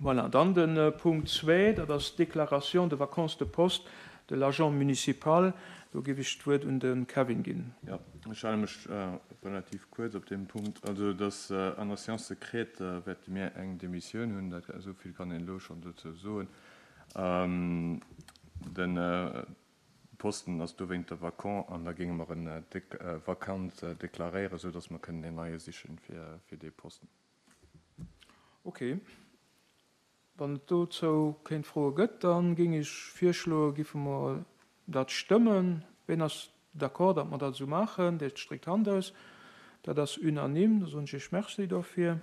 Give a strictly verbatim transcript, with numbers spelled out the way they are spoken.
Voilà, dann de Punkt zwee, dat ass d'Déclaration de vacance de poste de l'agent municipal. Do géif ech d'Wuert un de Kevin ginn. Jo, ech hale mech relativ kuerz op deem Punkt. Also et ass an der Séance secrète wäerte mir eng Demissioun hunn, dat esou vill kann een elo schonn dozou soen. De Posten ass dowéinter vacant an da géinge mer en vakant deklaréieren, esou datt mer kënnen een neie sichen fir dee Posten. Ok. Wann et dozou kéint Froe gëtt, da géing ech virschloen, giffe mer dat stëmmen. Ween ass d'accord, datt mer dat esou maachen? Dee streckt d'Hand aus. Dat ass unanime. Da soen ech Iech Merci dofir.